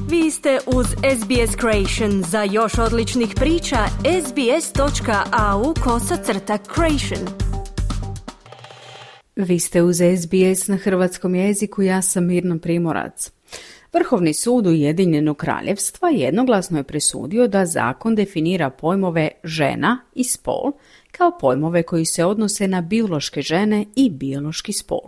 Vi ste uz SBS Creation. Za još odličnih priča, sbs.au/creation. Vi ste uz SBS na hrvatskom jeziku, ja sam Mirna Primorac. Vrhovni sud Ujedinjenog kraljevstva jednoglasno je presudio da zakon definira pojmove žena i spol kao pojmove koji se odnose na biološke žene i biološki spol.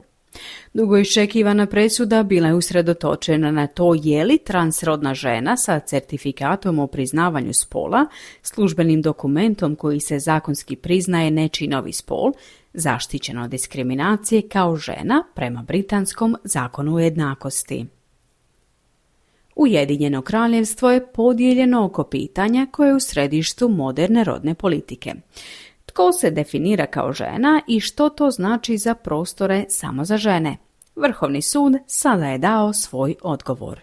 Dugo iščekivana presuda bila je usredotočena na to je li transrodna žena sa certifikatom o priznavanju spola, službenim dokumentom koji se zakonski priznaje nečiji novi spol, zaštićeno od diskriminacije kao žena prema britanskom zakonu o jednakosti. Ujedinjeno kraljevstvo je podijeljeno oko pitanja koje je u središtu moderne rodne politike. Tko se definira kao žena i što to znači za prostore samo za žene? Vrhovni sud sada je dao svoj odgovor.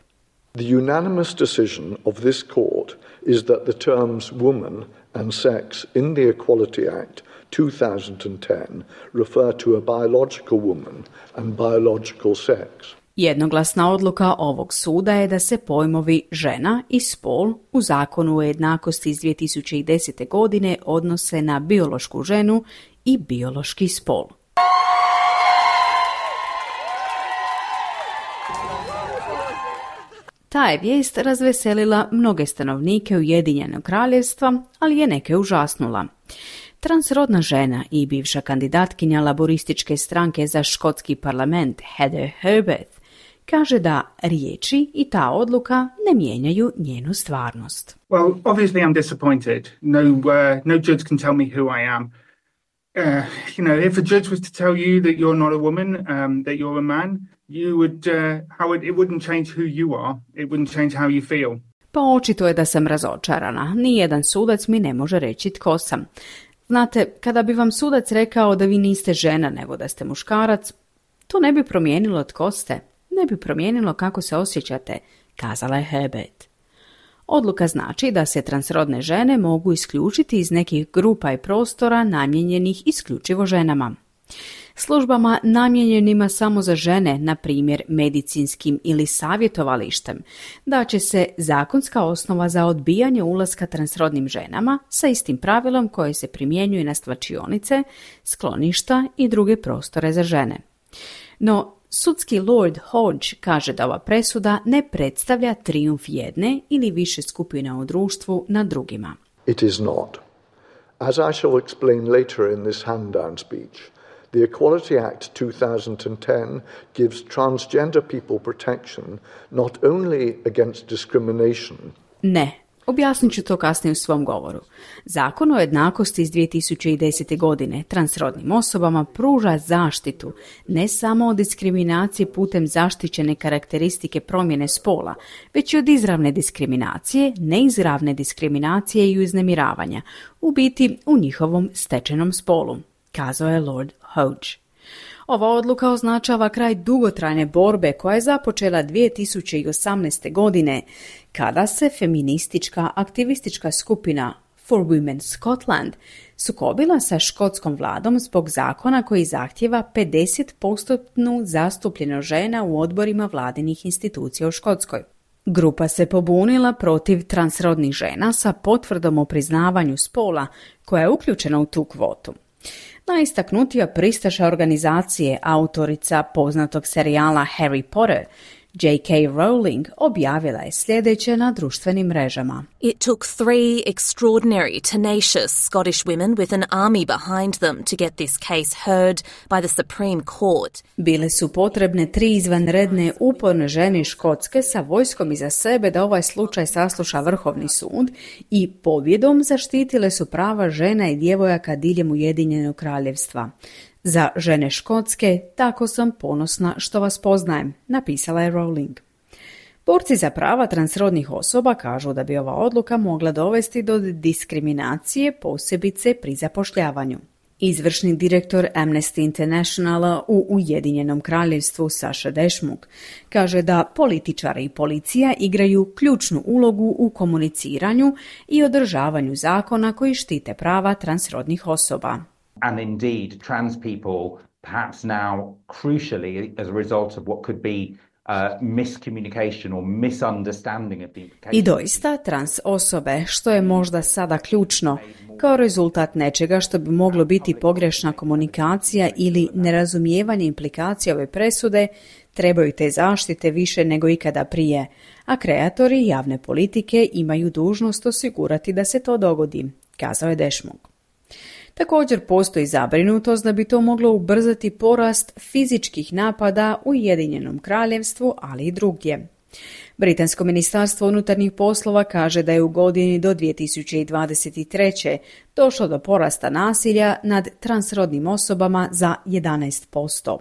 The unanimous decision of this court is that the terms woman and sex in the Equality Act 2010 refer to a biological woman and biological sex. Jednoglasna odluka ovog suda je da se pojmovi žena i spol u zakonu o jednakosti iz 2010. godine odnose na biološku ženu i biološki spol. Ta je vijest razveselila mnoge stanovnike Ujedinjenog kraljevstva, ali je neke užasnula. Transrodna žena i bivša kandidatkinja laborističke stranke za škotski parlament Heather Herbert kaže da riječi i ta odluka ne mijenjaju njenu stvarnost. Well, obviously I'm disappointed. No judge can tell me who I am. If a judge was to tell you that you're not a woman, that you're a man, you would, it wouldn't change who you are. It wouldn't change how you feel. Pa očito je da sam razočarana. Nijedan sudac mi ne može reći tko sam. Znate, kada bi vam sudac rekao da vi niste žena nego da ste muškarac, to ne bi promijenilo tko ste. Ne bi promijenilo kako se osjećate, kazala je Herbert. Odluka znači da se transrodne žene mogu isključiti iz nekih grupa i prostora namijenjenih isključivo ženama. Službama namijenjenima samo za žene, na primjer medicinskim ili savjetovalištem, da će se zakonska osnova za odbijanje ulaska transrodnim ženama sa istim pravilom koje se primjenjuje na svlačionice, skloništa i druge prostore za žene. No, sudski Lord Hodge kaže da ova presuda ne predstavlja trijumf jedne ili više skupina u društvu nad drugima. It is not. As I shall explain later in this hand-down speech, the Equality Act 2010 gives transgender people protection not only against discrimination. Ne. Objasnit ću to kasnije u svom govoru. Zakon o jednakosti iz 2010. godine transrodnim osobama pruža zaštitu ne samo od diskriminacije putem zaštićene karakteristike promjene spola, već i od izravne diskriminacije, neizravne diskriminacije i uznemiravanja, u biti u njihovom stečenom spolu, kazao je Lord Hodge. Ova odluka označava kraj dugotrajne borbe koja je započela 2018. godine, kada se feministička aktivistička skupina For Women Scotland sukobila sa škotskom vladom zbog zakona koji zahtjeva 50% zastupljenost žena u odborima vladinih institucija u Škotskoj. Grupa se pobunila protiv transrodnih žena sa potvrdom o priznavanju spola koja je uključena u tu kvotu. Najistaknutija pristaša organizacije, autorica poznatog serijala Harry Potter, J.K. Rowling, objavila je sljedeće na društvenim mrežama. It took 3 extraordinary, tenacious Scottish women with an army behind them to get this case heard by the Supreme Court. Bile su potrebne 3 izvanredne uporne žene Škotske sa vojskom iza sebe da ovaj slučaj sasluša Vrhovni sud i pobjedom zaštitile su prava žena i djevojaka diljem Ujedinjenog kraljevstva. Za žene Škotske, tako sam ponosna što vas poznajem, napisala je Rowling. Borci za prava transrodnih osoba kažu da bi ova odluka mogla dovesti do diskriminacije, posebice pri zapošljavanju. Izvršni direktor Amnesty Internationala u Ujedinjenom kraljevstvu Saša Dešmuk kaže da političari i policija igraju ključnu ulogu u komuniciranju i održavanju zakona koji štite prava transrodnih osoba. And indeed, trans people, perhaps now crucially as a result of what could be miscommunication or misunderstanding of the implications. I doista, trans osobe, što je možda sada ključno, kao rezultat nečega što bi moglo biti pogrešna komunikacija ili nerazumijevanje implikacija ove presude, trebaju te zaštite više nego ikada prije, a kreatori javne politike imaju dužnost osigurati da se to dogodi, kazao je Deschmok. Također postoji zabrinutost da bi to moglo ubrzati porast fizičkih napada u Ujedinjenom Kraljevstvu, ali i drugdje. Britansko ministarstvo unutarnjih poslova kaže da je u godini do 2023. došlo do porasta nasilja nad transrodnim osobama za 11%.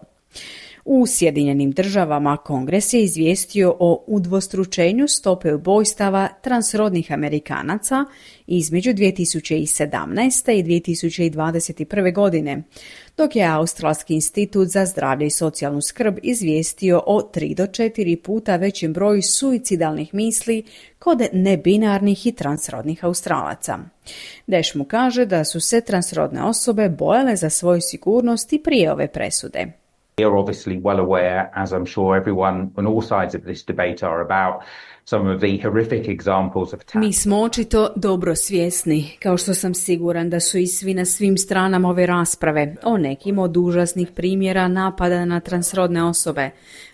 U Sjedinjenim Državama Kongres je izvijestio o udvostručenju stope ubojstava transrodnih Amerikanaca između 2017. i 2021. godine, dok je Australski institut za zdravlje i socijalnu skrb izvijestio o 3 do 4 puta većem broju suicidalnih misli kod nebinarnih i transrodnih Australaca. Deschmok kaže da su se transrodne osobe bojale za svoju sigurnost i prije ove presude. We are obviously well aware, as I'm sure everyone on all sides of this debate are, about some of the horrific examples of attacks. Mi smo očito dobro svjesni, kao što sam siguran da su i svi na svim stranama ove rasprave, o nekim od užasnih primjera napada na transrodne osobe,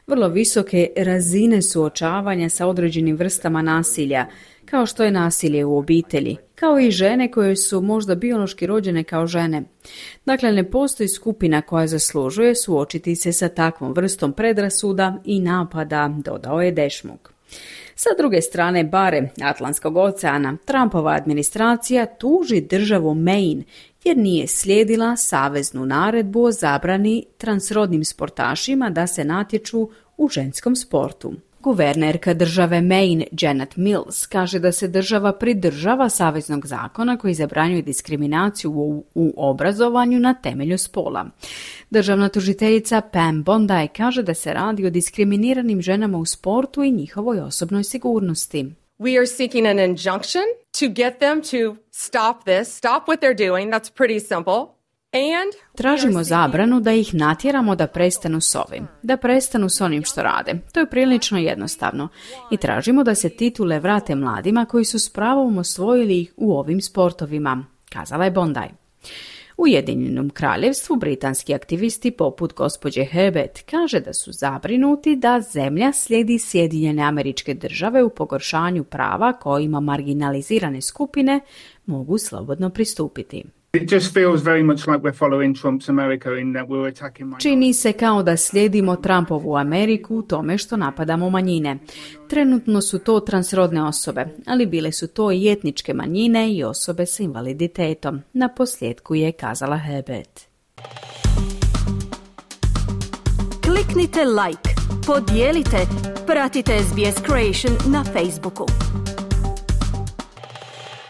vrlo visoke razine suočavanja sa određenim vrstama nasilja, kao što je nasilje u obitelji, kao i žene koje su možda biološki rođene kao žene. Dakle, ne postoji skupina koja zaslužuje suočiti se sa takvom vrstom predrasuda i napada, dodao je Deschmok. Sa druge strane bare Atlantskog oceana, Trumpova administracija tuži državu Maine jer nije slijedila saveznu naredbu o zabrani transrodnim sportašima da se natječu u ženskom sportu. Guvernerka države Maine, Janet Mills, kaže da se država pridržava saveznog zakona koji zabranjuje diskriminaciju u obrazovanju na temelju spola. Državna tužiteljica Pam Bondi kaže da se radi o diskriminiranim ženama u sportu i njihovoj osobnoj sigurnosti. We are seeking an injunction to get them to stop this, stop what they're doing. That's pretty simple. Tražimo zabranu da ih natjeramo da prestanu s ovim, da prestanu s onim što rade. To je prilično jednostavno. I tražimo da se titule vrate mladima koji su s pravom osvojili ih u ovim sportovima, kazala je Bondi. U Ujedinjenom Kraljevstvu britanski aktivisti poput gospođe Herbert kaže da su zabrinuti da zemlja slijedi Sjedinjene Američke Države u pogoršanju prava kojima marginalizirane skupine mogu slobodno pristupiti. It just feels very much like we're following Trump's America in that we're attacking minorities. Čini se kao da slijedimo Trumpovu Ameriku u tome što napadamo manjine. Trenutno su to transrodne osobe, ali bile su to i etničke manjine i osobe s invaliditetom. Na posljedku je kazala Herbert. Kliknite like, podijelite, pratite SBS Creation na Facebooku.